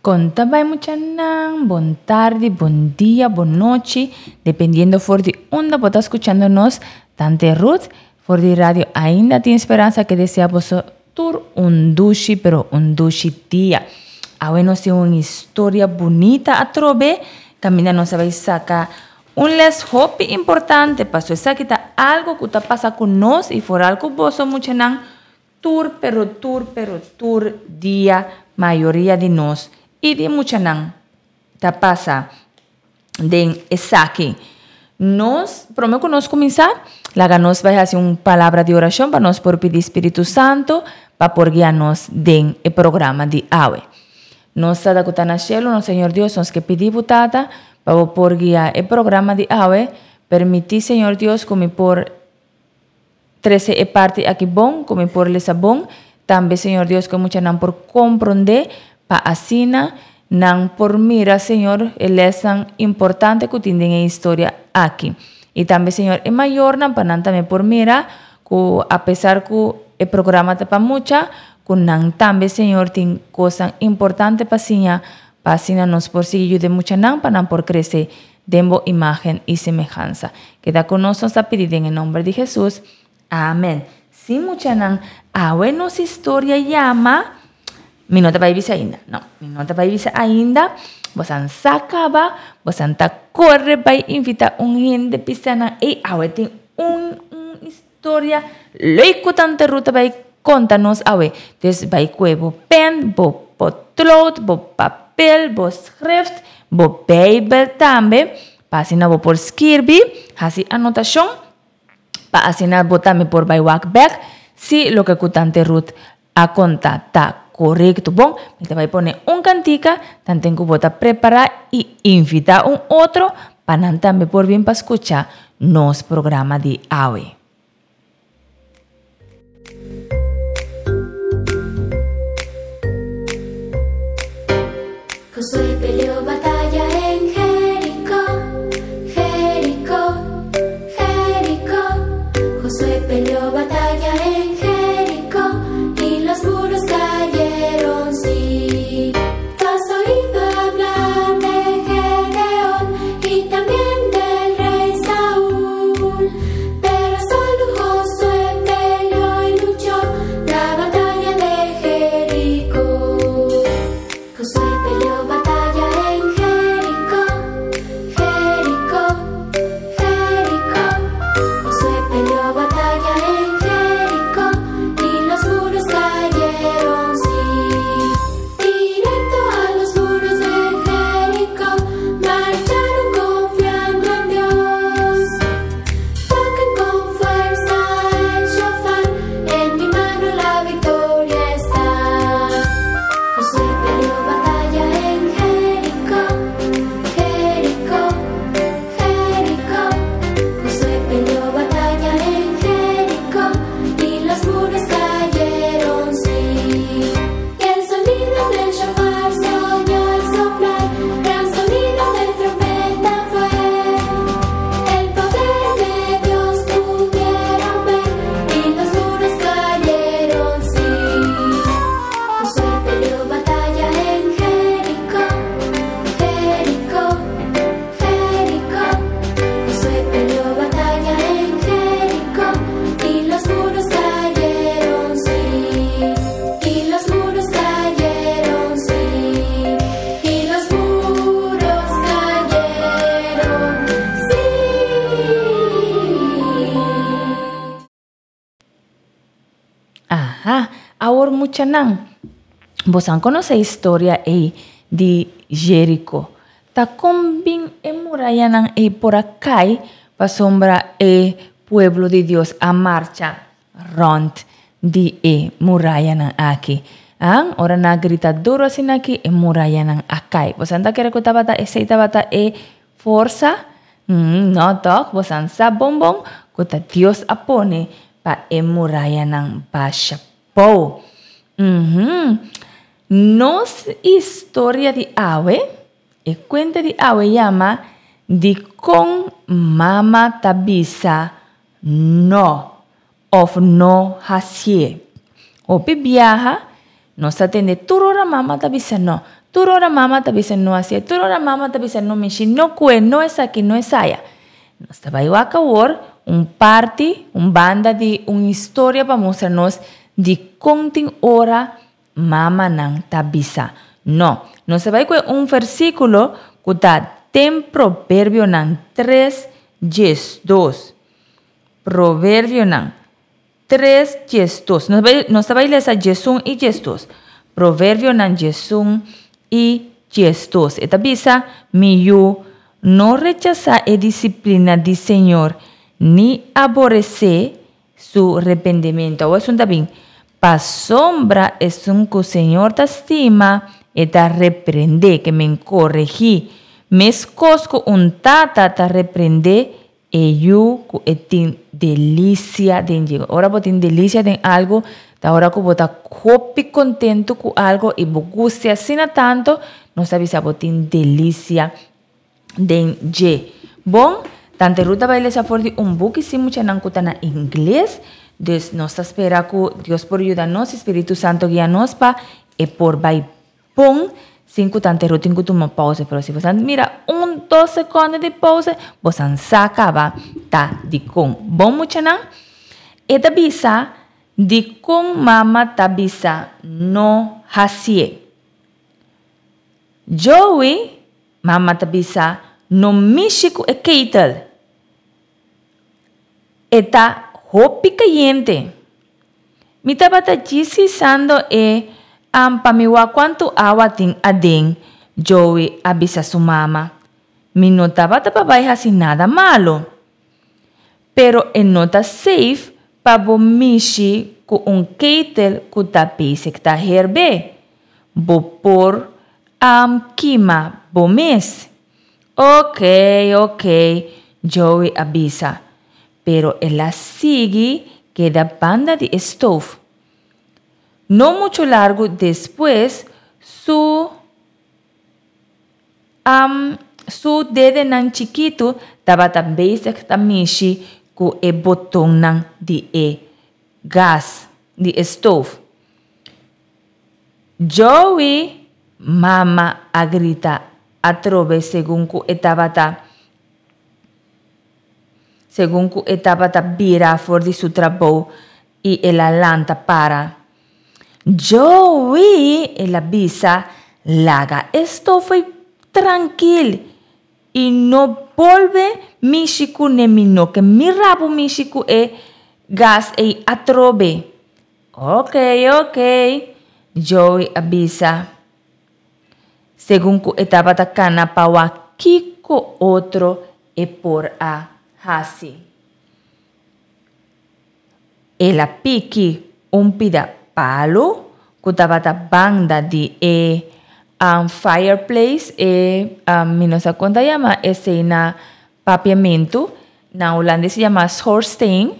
Kon ta bai muchanan? Bon tardi, bon dia, bon nochi, dependiendo for di unda bo ta skuchando nos. Tante Ruth for di Radio Ainda Tin Speransa ke desea boso tur un dushi pero un dushi dia. Awe nos tin un historia bunita atrobe kaminda nos a bai saka un les hopi importante paso esaki ta algo ku ta pasa ku nos i foral ku boso muchanan Tur pero tur pero tur dia mayoria di nos y di muchanan ta pasa den esaki. Nos, prome cu nos cuminsa, laga nos bay haci un palabra di oracion pa nos por pidi Spiritu Santo pa por guia nos den e programa di awe. Nos Tata cu ta na cielo, nos Señor Dios, nos ke pidi bo Tata pa bo por guia e programa di awe. Permiti Señor Dios cu mi por Trese e parti aki bon, ku mi por lesa bon, tambe Señor Dios ku e muchanan por komprondé, pa asina nan por mira, Señor, e lèsnan importante ku tin den e historia aki. I tambe, Señor, e mayornan pa nan tambe por mira ku apesar ku e programa ta pa mucha, ku nan tambe, Señor, tin kosnan importante pa siña, pa asina nos por sigui yuda e muchanan pa nan por krese den bo imagen i semehansa. Keda ku nos, nos ta pidi den e nomber di Hesus. Amen. Si muchanan, awe nos historia yama, mi no ta bai bisa ainda, no, mi no ta bai bisa ainda, bosan sa kaba, bosan ta kore bai invita un hende bisa nan, ey awe tin un un historia leuk ku tante Ruth ta bai konta nos awe. Dus bai kue bo pen, bo potlood, bo papel, bo schrift, Bo Beibel tambe, pa asina bo por skirbi, hasi anotashon, pa asina bo tambe por bai wak bèk si loke ku Tante Ruth a konta ta korekto. Bon, mi ta bai pone un kantika, tanten ku bo ta prepará i invitá un otro pa nan tambe por bin pa skucha nos programa di awe. Josué peleó batalla en Jericó, Jericó, Jericó. Josué peleó batalla en Jericó y los muros cayeron, sí. Tú has oído hablar de Gedeón y también del rey Saúl, pero solo Josué peleó y luchó la batalla de Jericó. Josué peleó batalla en Jericó, Jericó, Jericó. Josué peleó batalla en Jericó y los muros cayeron, sí. Directo a los muros de Jericó marcharon confiando en Dios. Toquen con fuerza el shofar, en mi mano la victoria está. Josué peleó batalla en Jericó, Jericó, Jericó. Josué peleó batalla en Jericó y los muros cayeron, sí. Y el sonido del shofar se oyó al soplar, gran sonido de trompeta fue. El poder de Dios pudieron ver y los muros cayeron, sí. Josué peleó batalla en Jericó, Jericó, Jericó. Josué peleó batalla en Jericó y los muros cayeron, sí. Y los muros cayeron, sí. Y los muros cayeron, sí. Aha, awor muchanan, bosan konosé historia ei di Jeriko. Ta kon bin e murayanan ei por a kai pasobra e pueblo di Dios a marcha rònt di e murayanan aki? An, ora nan a grita duru asina aki, e murayanan a kai. Bosan ta kere ku tabata esei tabata e forsa? No tòg, bosan sa bon bon ku ta Dios a pone pa e murayanan basha pou. Nos historia di awe, e kuenta di awe yama Dikon Mama Ta Bisa No òf No Hasié. Hopi biaha nos ta tende tur ora mama ta bisa no. Tur ora mama ta bisa no hasié, tur ora mama ta bisa no mishi, no kue, no esaki, no esaya. Nos ta bai wak awor un parti, un banda di un historia pa mustra nos dikon tin ora mamanan ta bisa no. Nos ta bai kue un versíkulo ku ta den Proverbionan tres diesdos. Proverbionan tres diesdos. Nos bai nos ta bai lesa diesun i diesdos. Proverbionan diesun i diesdos. E ta bisa, Mi yu, no rechasá e disiplina di Señor, ni aboresé su rependimentu. Awor esun ta bin, Pasobra esun ku Señor ta stima, e ta reprendé, ke men koregí, meskos ku un tata ta reprendé e yu ku e tin delisia den dje. Ora bo tin delisia den algu, ta ora ku bo ta hopi kontentu ku algu i bo gusta asina tantu, nos ta bisa bo tin delisia den dje. Bon, Tante Ruth ta bai lesa for di un buki si muchanan ku ta na ingles, dus nos ta spera ku Dios por yuda nos i Spiritu Santo guia nos pa e por bai bon sin ku Tante Ruth tin ku tuma pausa. Pero si boso mira un dos sekonde di pausa, boso sa kaba ta dikon. Bon muchanan, e ta bisa dikon mama ta bisa no hasié. Joey, mama ta bisa, no mishi ku e ketel. E ta hopi kayente. Mi tabata djis hisando e am pa mi wak kuantu awa tin aden, Joey a bisa su mama. Mi no tabata pa bai hasi nada malu. Pero e no ta safe pa bo mishi ku un ketel ku ta bezig ta herbe. Bo por am kima bo mes. Ok, ok, Joey a bisa. Pero el a sigui keda banda di e stof. No muchu largu despues su am su dedenan chikitu tabata bezig ta mishi ku e botonnan di e gas di e stof. Joey! Mama a grita atrobe segun ku e tabata segun ku e tabata bira for di su trabou i el a lanta para. Joey! El a bisa, laga e stof ei trankil i no bolbe mishi kuné mi no ke mira bo mishi ku e gas ei atrobe. Ok, ok, Joey a bisa, segun ku e tabata kana pa wak kiko otro e por a hasi. El a piki un pida palu ku tabata banda di e fireplace, e mi no sa kon ta yama esei na papiamentu, na hulandes se yama schoorsteen.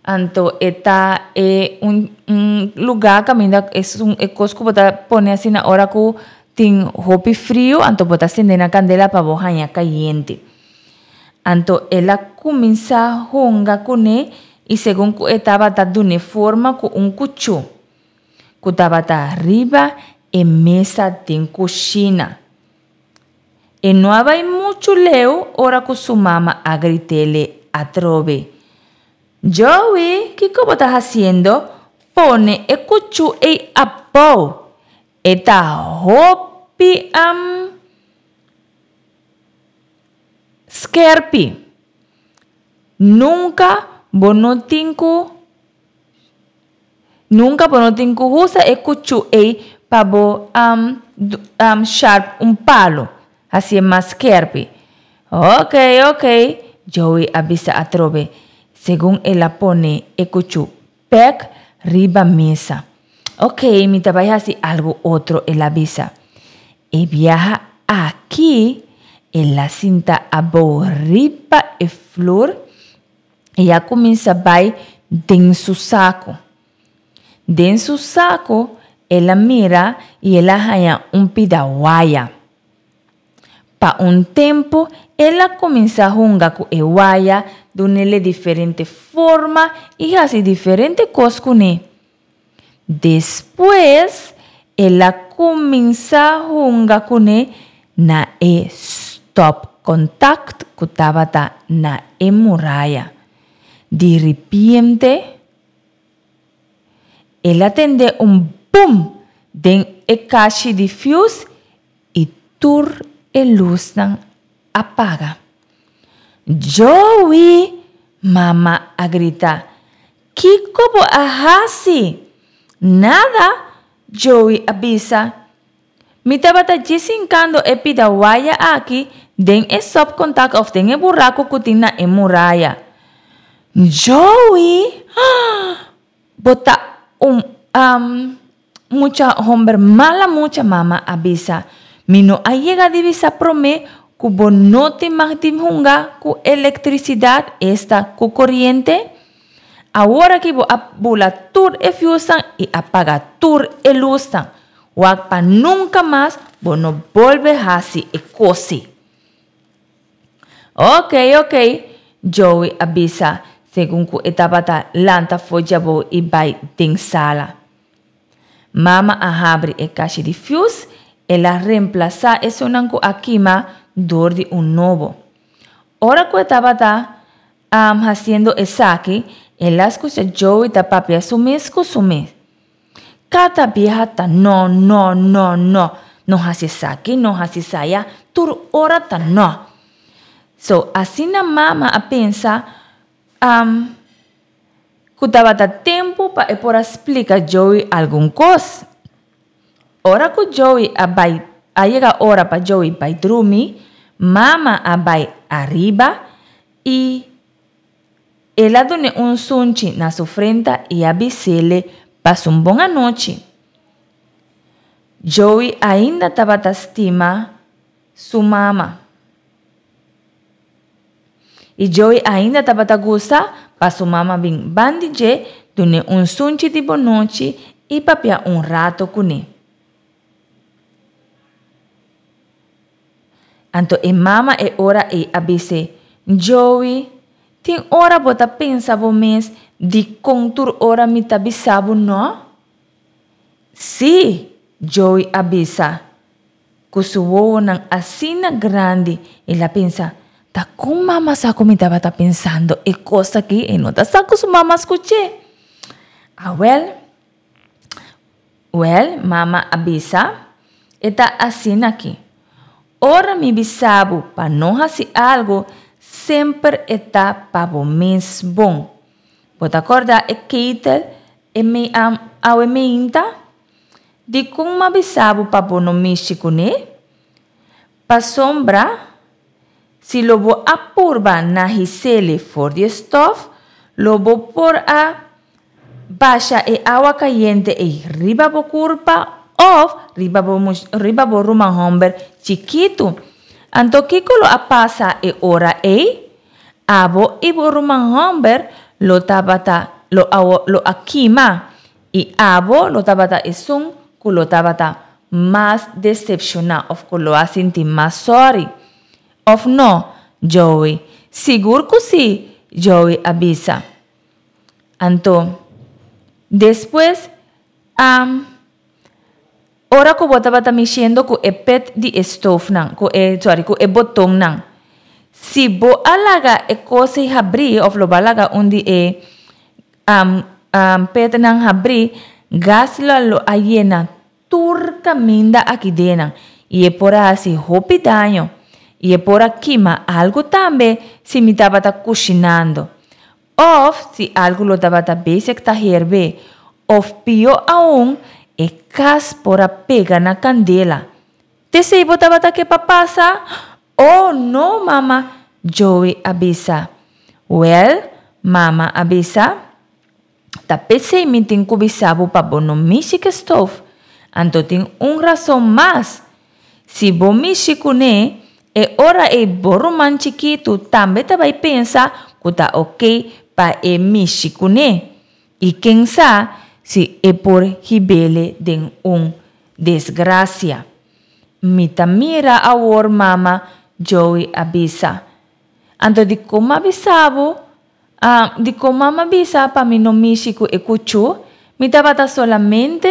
Anto e ta e un un lugá kaminda esun e kos ku bo ta pone asina ora ku tin hopi friu anto bo ta sende na kandela pa bo haña kayente. Anto el a kuminsá hunga kuné i segun ku e tabata dun'é forma ku un kuchú ku tabata riba e mesa den kushina. E no a bai muchu leu ora ku su mama a grit'ele atrobe, Joey, kiko bo ta hasiendo? Pone e kuchú ei abou! E ta hopi am skerpi. Nunka bo no tin ku Nunka bo no tin ku usa e kuchú ei pa bo sharp un palu, hasié mas skerpi. Ok, ok, Joey a bisa atrobe, segun el a pone e kuchú bèk riba mesa. Ok, mi ta bai hasi algu otro, el a bisa. E biaha aki el a sinta abou riba e flur I a kuminsá bai den su saku. Den su saku el a mira i el a haña un pida waya. Pa un tempu el a kuminsá hunga ku e waya dun'ele diferente forma i hasi diferente kos kuné. Despues El a kuminsá hunga kuné na e stòpkòntakt ku tabata na e muraya. Di ripiente, el a tende un bum den e kashi di fius i tur e lusnan a paga. Joey! Mama a grita. Kiko bo a hasi? Nada, Joey a bisa. Mi tabata djis hinkando e pida waya aki den e stopcontact of den e buraco cu tin na e muraya. Joey! Bo ta un mucha homber mala mucha, mama a bisa. Mi no a yega di bisa prome cu bo no tin mag di hunga cu electricidad, esta cu coriente. Awor aki bo a bula tur e fiusnan y a paga tur e lusnan. Wak pa nunca mas bo no bolbe haci e cosi. Ok, ok, Joey a bisa segun cu e tabata lanta for djabou y bay den sala. Mama a habri e kashi di fius, el a reemplasa esunnan cu a kima door di un nobo. Ora cu e tabata haciendo esaki, el a scucha Joey ta papia su mes cu su mes. Cada biaha ta no, no, no, no. No haci esaki, no haci esaya, tur ora ta no. So, asina mama a pensa cu tabata tempo pa e por a splica Joey algun cos. Ora cu Joey a bay, a yega ora pa Joey bay drumi, mama a bay ariba y el a dun'e un sunchi na su frenta y a bis'ele pasa un bon anochi. Joey ainda tabata stima su mama. Y Joey ainda tabata gusta pa su mama bin ban di dje, dun'e un sunchi di bonochi y papia un rato cun'e. Anto e mama e ora ei a bis'é, Joey, tin ora bo ta pensa bo mes dikon tur ora mi ta bisa bo nò? Sí, Joey a bisa. Ku su wowonan asina grandi, el a pensa, Ta kon mama sa ku mi tabata pensando e kos aki? E no ta sa ku su mama skuch'é. Awèl. Wèl, mama a bisa, e ta asin'aki. Ora mi bisa bo pa no hasi algu, semper e ta pa bo mes bon. Bo ta kòrda e ketel e mei awe meinta? Dikon m'a bisa bo pa bo no mishi kuné? Pasobra si lo bo a purba na his'ele for di e stòf, lo bo por a basha e awa kayente ei riba bo kurpa òf riba bo riba bo ruman hòmber chikitu. Anto kiko lo a pasa e ora ei? Abo i bo ruman hòmber lo tabata lo a lo a kima, i abo lo tabata esun ku lo tabata mas decepciona of cu lo a sinti mas sorry. Of no, Joey? Sigur cu si, Joey a bisa. Anto, despues, a ora cu bo tabata mishiendo cu e pet di e stoofnan, cu e, sorry, cu e botonnan, si bo a laga e cos ei habri of lo bo a laga un di e petnan habri, gas lo lo a yena tur kaminda aki denan i e por a hasi hopi daño i e por a kima algu tambe si mi tabata kushinando òf si algu lo tabata besig ta herbe òf pió aun e kas por a pega na kandela. T'esei bo tabata ke pa pasa? Oh, no, mama, Joey a bisa. Wèl, mama a bisa, ta p'esei mi tin ku bisa bo pa bo no mishi ku e stof. Anto tin un rason mas. Si bo mishi kuné, e ora ei bo ruman chikitu tambe ta bai pensa ku ta oké pa e mishi kuné. I ken sa si e por hib'ele den un desgrasia. Mi ta mira awor, mama, Joey a bisa. Anto dikon m'a bisa bo? Ah, dikon mama bisa pa mi no mishi ku e kuchú? Mi tabata solamente,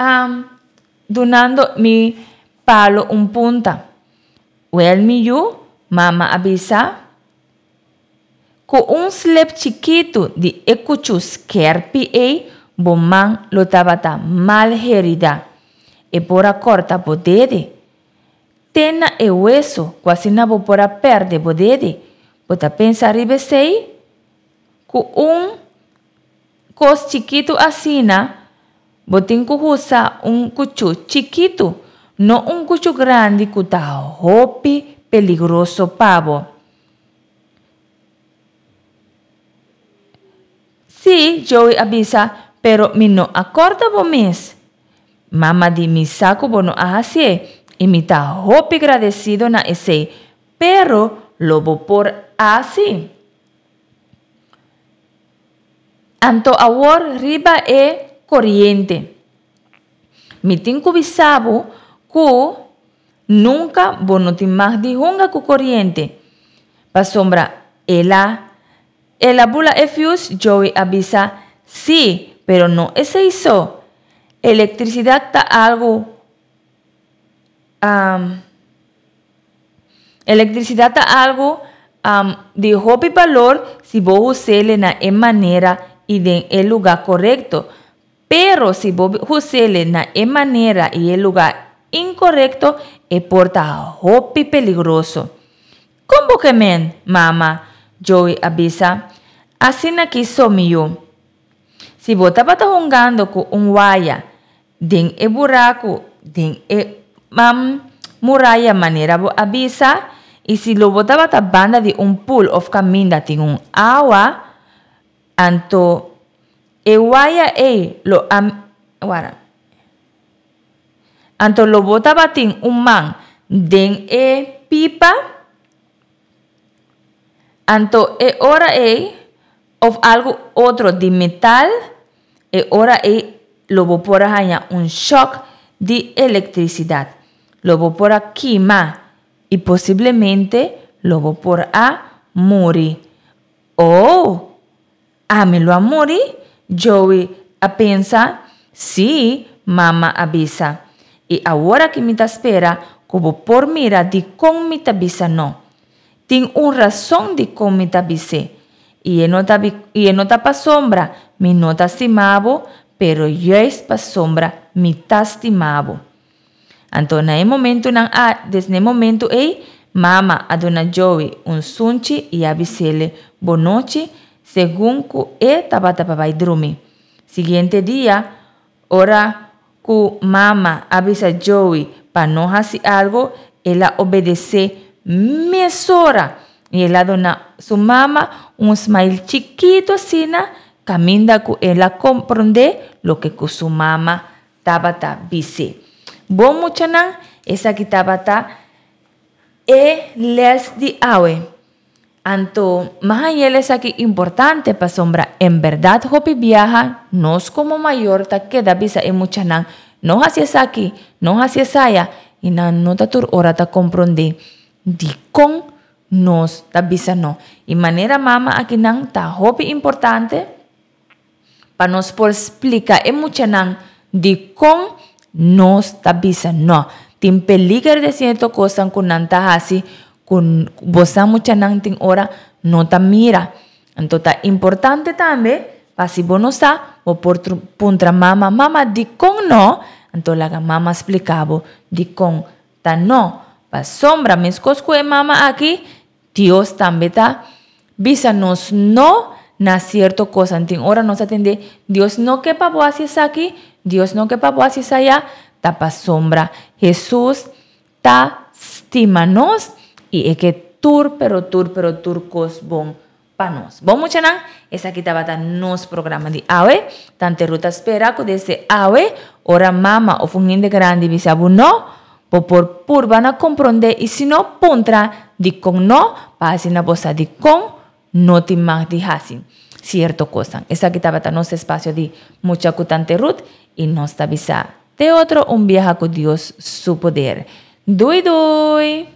ah, dunando mi palo un punta. Wel mi yu, mama a bisa, ku un slep chikitu di e kuchú skèrpi ei bo man lo tabata mal heridá. E por a kòrta bo dede. Te na e weso ku asina bo por a pèrdè bo dede. Bo ta pensa riba esei? Ku un kos chikitu asina, bo tin ku usa un kuchú chikitu, no un kuchú grandi ku ta hopi peligroso pa bo. Sí, Joey a bisa, pero mi no a kòrda bo mes. Mama di mi sa ku bo no a hasié i mi ta hopi gradesido na esei, pero lo bo por hasi. Anto awor riba e koriente. Mi tin ku bisa bo ku nunka bo no tin mag di hunga ku koriente, pasobra el a el a bula e fius, Joey a bisa. Sí, pero no esei so. Elektrisidat ta algu Elektrisidat ta algu di hopi balor si bo hus'ele na e manera i den e lugá korekto. Pero si bo hus'ele na e manera i e lugá inkorekto, e por ta hopi peligroso. Kon bo ke men, mama? Joey a bisa. Asina ki so mi yu. Si bo tabata hungando ku un waya den e buraku den e muraya manera bo a bisa, i si lo bo tabata banda di un pul òf kaminda tin un awa, anto e waya ei lo a wara anto lo bo tabatin un man den e pipa, anto e ora ei òf algu otro di metal, e ora ei lo bo por a haña un shòk di elektrisidat. Lo bo por a kima i posiblemente lo bo por a muri. Oh! Ami lo a muri? Joey a pensa. Sí, mama a bisa. I awor aki mi ta spera ku bo por mira dikon mi ta bisa no. Tin un rason dikon mi ta bis'é. I e no ta i e no ta pasobra mi no ta stima bo, pero juist pasobra mi ta stima bo. Anto na e momentunan a des na e momentu ei, mama a duna Joey un sunchi i a bis'ele bonochi segun ku e tabata pa bai drumi. Siguiente dia, ora ku mama a bisa Joey pa no hasi algu, el a obedesé mesora i el a duna su mama un smail chikitu asina kaminda ku el a komprondé loke ku su mama tabata bis'é. Bon muchanan, esaki tabata e lès di awe. Anto, m'a haña el esaki importante pasobra en bèrdat hopi biaha nos komo mayor ta keda bisa e muchanan, no hasi esaki, no hasi esaya, i nan no ta tur ora ta komprondé dikon nos ta bisa no. I manera mama akinan ta hopi importante pa nos por splika e muchanan dikon nos ta bisa no. Tin peliger den sierto kosnan ku nan ta hasi ku bosan muchanan tin ora no ta mira. Anto ta importante tambe pa si bo no sa bo por puntra mama, mama dikon no? Anto laga mama splika bo dikon ta no. Pasobra meskos ku e mama aki Dios tambe ta bisa nos no na sierto kosnan. Tin ora nos a tende, Dios no ke pa bo hasi esaki, Dios no ke pa bo hasi esaya, ta pasobra Hesus ta stima nos i e ke tur pero tur pero tur kos bon pa nos. Bon muchanan, esaki tabata nos programa di awe. Tante Ruth ta spera ku desde awe ora mama òf un hende grandi bisa bo no, Bo por purba na komprondé i si no, puntra dikon no, pa asina bo sa dikon no tin mag di hasi sierto kosnan. Esaki tabata nos espasio di Mucha ku Tante Ruth i nos ta bisa te otro un biaha ku Dios su poder. Dui dui!